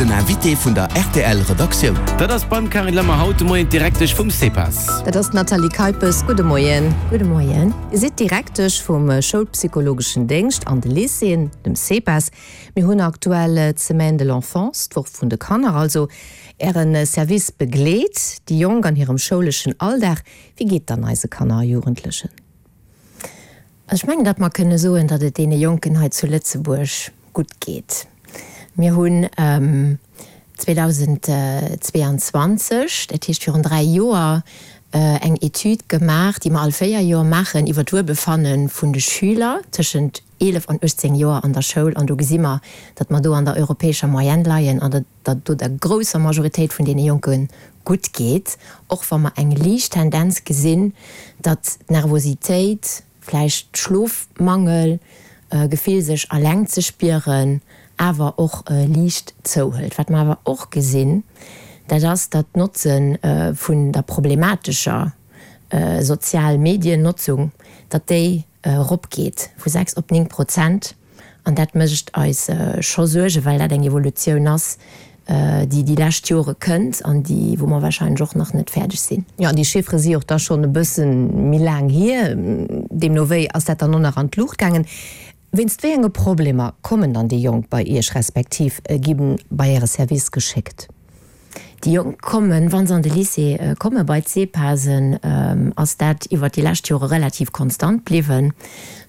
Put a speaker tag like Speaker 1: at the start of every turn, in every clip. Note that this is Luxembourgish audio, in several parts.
Speaker 1: Den Invité vun der rtl Redaktioun.
Speaker 2: Dat ass beim Carine Lemmer haut de Moien d'Direktesch vum CEPAS.
Speaker 3: Dat ass d'Nathalie Keipes. Gudde Moien.
Speaker 4: Gudde Moien.
Speaker 3: Dir sidd Direktesch vum Schoulpsychologeschen Déngscht an de Lycéeën, dem CEPAS. Mir hunn aktuell d'Semaine de l'enfance, d'Woch vun de Kanner also. Äre Service begleet déi Jonk an hirem schouleschen Alldag. Wéi geet et dann eise Kanner a Jugendlechen?
Speaker 4: Ech mengen, datt mer kënne soen, datt et deene Jonken hei zu Lëtzebuerg gutt geet. Mir hunn 2022, dat heescht virun 3 Joer, eng Etüd gemaach, déi mer all 4 Joer maachen, iwwer d'Wuelbefanne vun de Schüler tëschent 11 an 18 Joer an der Schoul. An do gesi mer, datt mer do an der europäescher Moyenne leien an datt et do der grousser Majoritéit vun deene Jonke gutt geet, och wa mer eng liicht Tendenz gesinn, datt d'Nervositéit, vläicht Schlofmangel, Gefill sech alleng ze spieren, awer och liicht zouhëlt. Wat mer awer och gesinn, dat ass, datt d'Notze vun der problematescher Sozial-Medien-Notzung, datt déi eropgeet vu 6 op 9 Prozent. An dat mécht eis scho Suergen, well dat eng Evolutioun ass, déi déi lescht Jore kënnt an déi, wou mer wahrscheinlech och nach net fäerdeg sinn.
Speaker 3: Jo, an déi Chiffere si och da schonn e bësse méi laang hier. Deemno wéi ass dat dann och nach an d'Luucht gaangen. Wéinst wéi enge Problemer kommen dann déi Jonk bei Iech respektiv gi bei Äre Service geschéckt?
Speaker 4: Déi Jonk kommen, wa se an de Lycée kommen, bei d'SEPASen, ass dat iwwert déi lescht Jore relativ konstant bliwwen.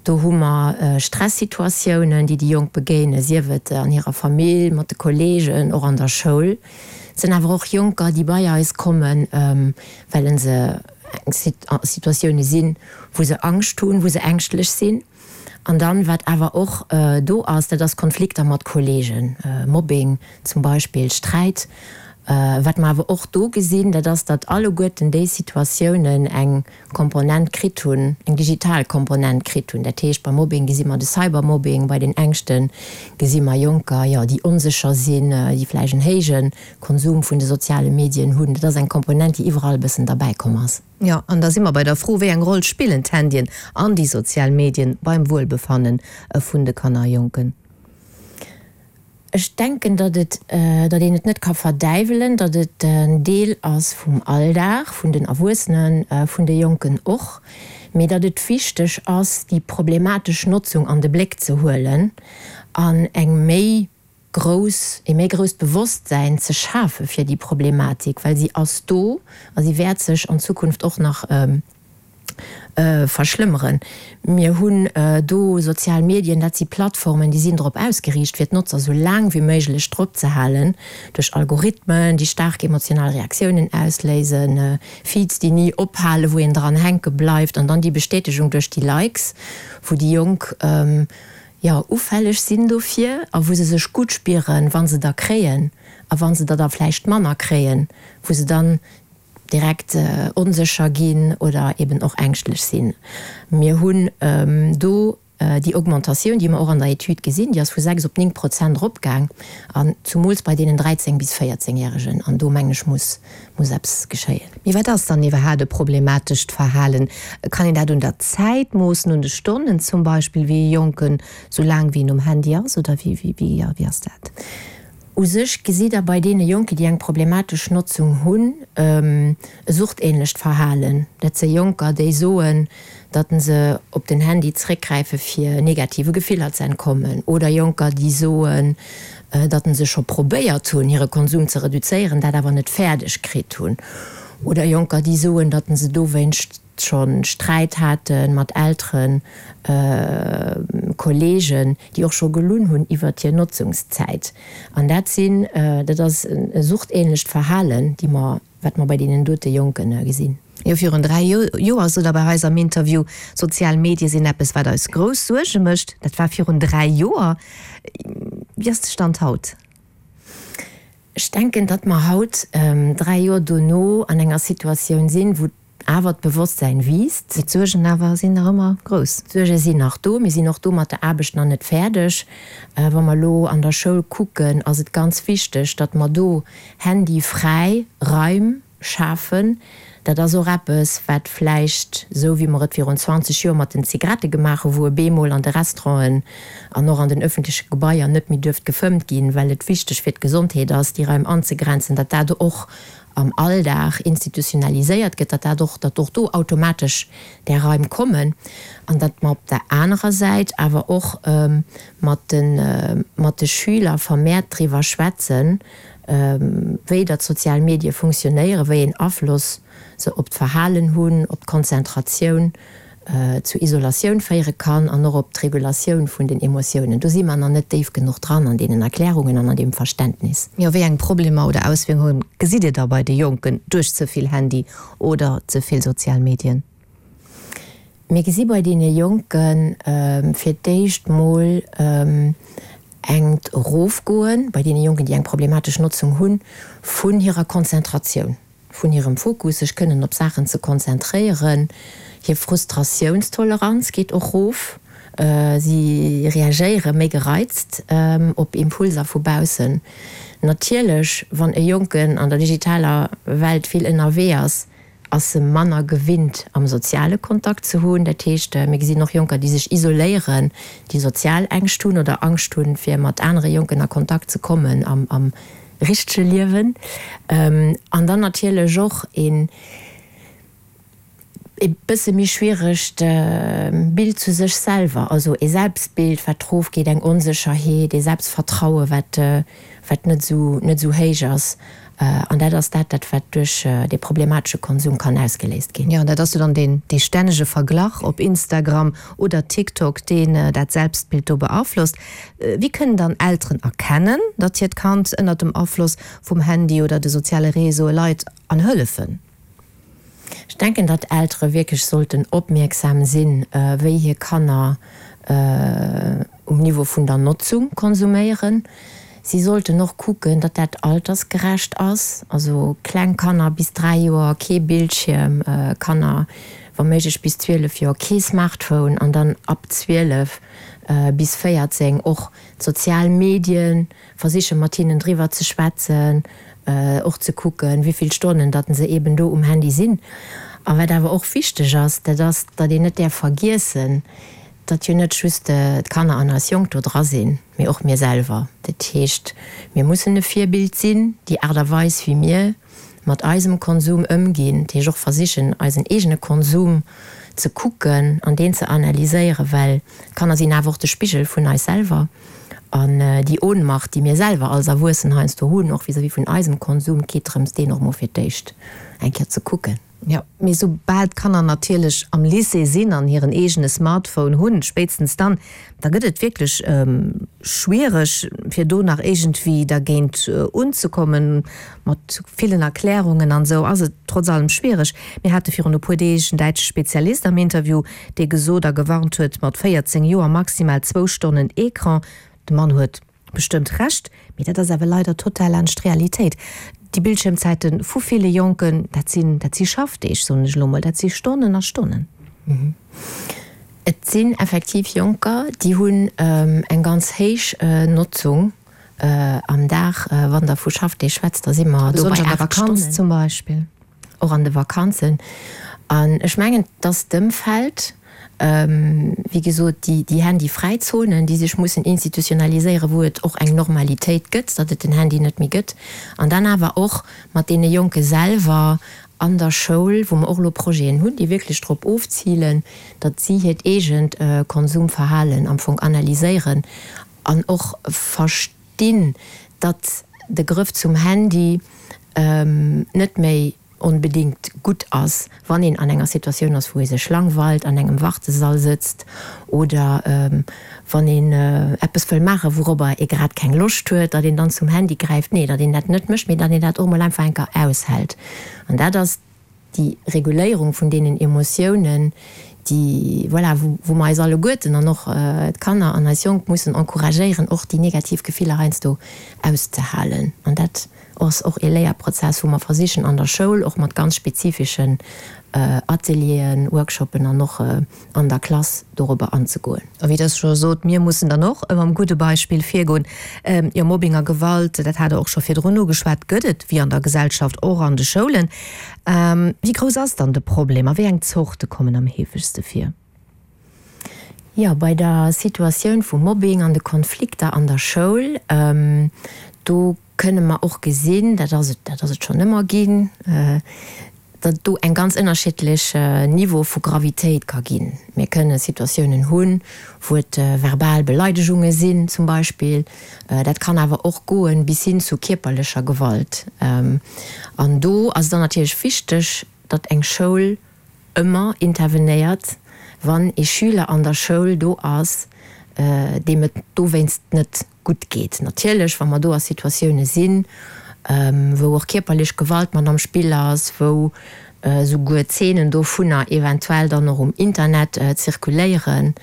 Speaker 4: Do hu mer Stressituatiounen, déi déi Jonk begéinen, sief et an hirer Famill, mat de Kolleegen, och an der Schoul. Et sinn awer och Jonker, déi bei eis kommen, well se a Situatioune sinn, wou se Angscht hunn, wou se ängschtlech sinn. An dann, wat awer och do ass, dat ass Konflikter mat Kollegen, Mobbing zum Beispill, Sträit. Wat mer awer och do gesinn, dat ass, datt alleguerten déi Situatiounen eng Komponent kritt hunn, eng digital Komponent kritt hunn. Dat heescht, beim Mobbing gesi mer de Cybermobbing, bei den Ängschte gesi mer Jonker, jo, déi onsécher sinn, déi vläicht en héije Konsum vun de soziale Medien hunn. Dat ass eng Komponent, déi iwwerall e bëssen derbäikomm ass.
Speaker 3: Jo, an da si mer bei der Fro, Wéi eng Roll spillen d'Handyen an déi sozial Medien beim Wuelbefanne vun de Kanner a Jonken?
Speaker 4: Ech denken, datt et, datt een et net ka verdäiwelen, datt et en Deel ass vum Alldag, vun den Erwuessenen, vun de Jonken och, mee datt et wichteg ass, déi problematesch Notzung an de Bléck ze huelen an eng méi grouss, ee méi grousst Bewosstsäin ze schafe fir déi Problematik, well si ass do a si wäert sech an Zukunft och nach verschlëmmeren. Mir hunn do sozial Medien, dat si Plattformen, déi sinn drop ausgeriicht, fir d'Notzer esou laang wéi méiglech drop ze halen, duerch Algorithmen, déi staark emotional Reaktiounen ausléisen, Feeds, déi ni ophalen, wou een dran hänke bleift, an dann déi Bestätegung duerch déi Likes, wou déi Jonk, jo, ufälleg sinn dofir a wou se sech gutt spieren, wa se der kréien, a wa se der da vläicht manner kréien, wou se dann direkt onsécher ginn oder eben och ängschtlech sinn. Mir hunn do déi Augmentatioun, déi mer och an der Etüd gesinn, déi ass vu 6 op 9 Prozent eropgaang, an zumools bei deenen 13 bis 14 Järegen. An do, mengen ech, muss muss eppes geschéien.
Speaker 3: Mee wat ass dann iwwerhaat e problematescht Verhalen? Kann een dat un der Zäit moossen, un de Stonnen zum Beispill, wéi e Jonken sou laang wéi en um Handy ass, oder wéi, wéi, jo, wéi ass dat?
Speaker 4: U sech gesitt Der bei deene Jonken, déi eng problematesch Notzung hunn, e suchtähnlecht Verhalen. Dat si Jonker, déi soen, datt se op den Handy zréckgräife fir negative Gefiller ze entkommen, oder Jonker, déi soen, datt se scho probéiert hunn, hire Konsum ze reduzéieren, dat awer net fäerdeg kritt hunn, oder Jonker, déi soen, datt se dowéinst scho Sträit hate mat Elteren, Kolleegen, déi och scho gelunn hunn iwwert hir Notzungszäit. An dat sinn, dat ass e suchtähnlecht Verhalen, déi mer Wat mer bei deenen dote Jonken gesinn.
Speaker 3: Jo, virun 3 Joer sot Der bei eis am Interview, Sozial Medie sinn eppes, wat eis grouss Suerge mécht. Dat war virun 3 Joer. Wéi ass de Stand haut?
Speaker 4: Ech denken, datt mer haut, 3 Joer dono, an enger Situatioun sinn, wou awer d'Bewosstsäin wiisst.
Speaker 3: Mee d'Suergen awer sinn nach ëmmer grouss.
Speaker 4: D'Suerge sinn nach do. Mir sinn och do mat der Aarbecht nach net fäerdeg. Wa mer elo an der Schoul kucken, ass et ganz wichteg, datt mer do handyfräi Raim. schafen. Dat ass och eppes, wat vläicht, esou wéi mer et virun 20 Joer mat den Zigarette gemaach hu wou e bemol an de Restauranten an och an den öffentleche Gebaier net méi duerft gefëmmt ginn, well et wichteg fir d'Gesondheet ass, déi Raim anzegrenzen, datt dat och am Alldag institutionaliséiert gëtt, datt dat och, datt och do automatesch där Raim kommen an datt mer op der anerer Säit awer och mat de, mat de Schüler vermehrt driwwer schwätzen, wéi datt sozial Medie funktionéieren, wéi een Afloss se op d'Verhalen hunn, op d'Konzentratioun, zu Isolatioun féiere kann an och op d'Regulatioun vun den Emotiounen. Do si mer nach net déif genuch dran an deenen Erklärungen an an deem Verständnis.
Speaker 3: Jo, wéi eng Problemer oder Auswierkunge gesitt Dir da bei de Jonken duerch ze vill Handy oder ze vill sozial Medien?
Speaker 4: Mir gesi bei deene Jonke fir d'éischt mol engt Erofgoen, bei deene Jonken, déi eng problematesch Notzung hunn, vun hirer Konzentratioun. vun hirem Fokus, sech kënnen op Saachen ze konzentréieren. Hir Frustratiounstoleranz geet och rof. Si reagéiere méi gereizt op Impulser vu baussen. Natierlech, wann e Jonken an der digitaler Welt vill ënnerwee ass, ass e manner gewinnt am soziale Kontakt ze hunn. Dat heescht, mir gesinn och Jonker, déi sech isoléieren, déi sozial Ängscht hunn oder Angscht hunn, fir mat anere Jonken a Kontakt ze kommen am richtege Liewen an dann natierlech och een e bësse méi schwieregt Bild zu sech selwer, also ee Selbstbild wat rof geet, eng Onsécherheet, ee Selbstvertraue wat wat net esou net esou héich ass an dat ass dat dat wat duerch dee problematesche Konsum kann ausgeléist ginn.
Speaker 3: Jo, an dat ass jo dann deen dee stännege Verglach op Instagram oder TikTok, deen dat Selbstbild do beaflosst. Wéi kënnen dann Elteren erkennen, datt hiert Kand ënnert dem Afloss vum Handy oder de soziale Réseaue leit an hëllefen?
Speaker 4: Ech denken, datt Eltere wierklech sollten opmierksam sinn, wéi hir Kanner um Niveau vun der Notzung konsuméieren. Si sollten och kucken, datt dat altersgerecht ass, also kleng Kanner bis 3 Joer kee Bildschierm, Kanner wa méiglech bis 12 Joer kee Smartphone an dann ab 12 bis 14 och d'sozial Medien, versiche mat hinnen driwwer ze schwätzen, och ze kucken, wéi vill Stonnen datt se eben do um Handy sinn. A wat awer och wichteg ass, dat ass, datt een net däerf vergiessen, datt jo net just d'Kanner an eis Jonk do dra sinn, mee och mir selwer. Dat heescht, mir mussen e Virbild sinn, déi Aart a Weis, wéi mir mat eisem Konsum ëmginn, dat heescht och versichen, eisen eegene Konsum ze kucken an deen ze analyséieren, well d'Kanner sinn awer och de Spigel vun eis selwer. An déi Ohnmacht, déi mir selwer als Erwuessen heiansdo hunn, och vis-à-vis vun eisem Konsum, et geet drëms, deen och mol fir d'éischt eng Kéier ze kucken.
Speaker 3: Jo, mee soubal d'Kanner natierlech am Lycée sinn an hiren eegene Smartphone hunn, spéitstens dann, da gëtt et wierklech schwiereg, fir do nach iergendwéi dergéint unzekommen. Mat villen Erklärungen an esou ass et trotz allem schwiereg. Mir hate virun e puer Deeg en däitsche Spezialist am Interview, dee gesot a gewarnt huet, mat 14 Joer maximal zwou Stonnen Ecran. De Mann huet Bestëmmt Recht, mee dat ass awer leider total laanscht d'Realitéit. Déi Bildschiermzäite vu ville Jonken, dat sinn, dat si Schaffdeeg, soen ech elo mol, dat si Stonnen a Stonnen.
Speaker 4: Et sinn effektiv Jonker, déi hunn eng ganz héich Notzung am Dag. Wann Der vu Schaffdeeg schwätzt, da si mer do bei 8 Stonnen.
Speaker 3: Besonnesch an der Vakanz zum Beispill.
Speaker 4: Och an de Vakanzen. An ech mengen, dass d'Ëmfeld, wéi gesot, déi, déi handyfräi Zonen, déi sech mussen institutionaliséieren, wou et och eng Normalitéit gëtt, datt et den Handy net méi gëtt, an dann awer och mat deene Jonke selwer an der Schoul, wou mer och elo Projeten hunn, déi wierklech drop ofzilen, datt si hiert eegent Konsumverhalen am Fong analyséieren an och verstinn, datt de Grëff zum Handy net méi onbedéngt gutt ass, wann een an enger Situatioun ass, wou ee sech langweilt, an engem Wartesall sëtzt oder wann een eppes wëll maachen, wourobber ee grad keng Loscht huet, datt een dann zum Handy gräift. Nee, datt een dat net mécht, mee datt een dat och mol einfach eng Kéier aushält. An dat ass déi Reguléierung vun deenen Emotiounen, déi, voilà, wou mer eis alleguerten an och d'Kanner an eis Jonk mussen encouragéieren, och déi negativ Gefiller heiansdo auszehalen. An dat. ass och ee Léierprozess, wou mer versichen an der Schoul och mat ganz spezifischen Atelieren, Workshoppen an och an der Klass dorobber anzegoen.
Speaker 3: A wéi Der scho sot, mir mussen dann och mam gudde Beispill virgoen. Jo, Mobbing a Gewalt, dat hat Der och scho virdrun ugeschwat, gëtt et wéi an der Gesellschaft och an de Schoulen. Wéi grouss ass dann de Problem a wéi eng Zorte kommen am heefegste vir?
Speaker 4: Jo, bei der Situatioun vum Mobbing an de Konflikter an der Schoul, do kënne mer och gesinn, dat ass et, dat ass et schonn ëmmer ginn, datt et do eng ganz ënnerschiddlech Niveau vu Gravitéit ka ginn. Mir kënne Situatiounen hunn, wou et verbal Beleidegunge sinn zum Beispill. Dat kann awer och goen bis hin zu kierperlecher Gewalt. An do ass et dann natierlech wichteg, datt eng Schoul ëmmer intervenéiert, wann ee Schüler an der Schoul do ass, deem et dowéinst net gutt geet. Natierlech, wa mer do a Situatioune sinn, wou och kierperlech Gewalt mat am Spill ass, wou souguer Zeenen dovunner eventuell dann och um Internet zirkuléieren,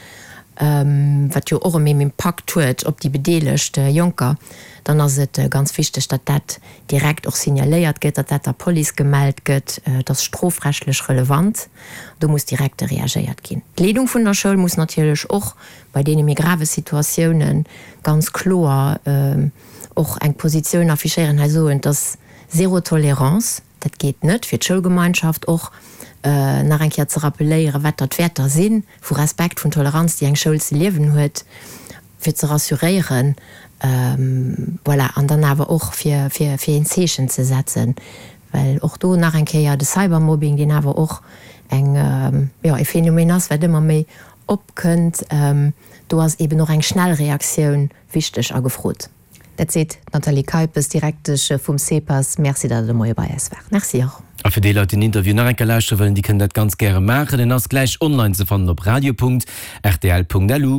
Speaker 4: wat jo och en Impakt huet op déi bedeelegt Jonker, dann ass et ganz wichteg, datt dat direkt och signaléiert gëtt, datt dat der Police gemellt gëtt, et ass strofrechtlech relevant, do muss direkt reagéiert ginn. D'Leedung vun der Schoul muss natierlech och bei deene méi grave Situatioune ganz kloer och eng Positioun affichéieren, hei soen, et ass zéro Tolérance, dat geet net, fir d'Schoulgemeinschaft och nach eng Kéier ze rappeléieren, wat da d'Wäerter si vu Respekt, vun Toleranz, déi eng Schoul ze liewen huet. fir ze rassuréieren, voilà, an dann awer och fir, fir, fir een Zeechen ze setzen, well och do nach eng Kéier de Cybermobbing, deen awer och eng, jo, e Phänomen ass, wat ëmmer méi opkënnt, do ass eeben och eng schnell Reaktioun wichteg a gefrot.
Speaker 3: Dat seet d'Nathalie Keipes, Direktesch vum CEPAS. Merci, datt Der de Moie bei eis waart.
Speaker 4: Merci och.
Speaker 2: A fir déi Leit, déi den Interview nach eng Kéier lauschtere wëllen, déi kënnen dat ganz gäre maachen. En ass gläich online ze fannen op radio.rtl.lu.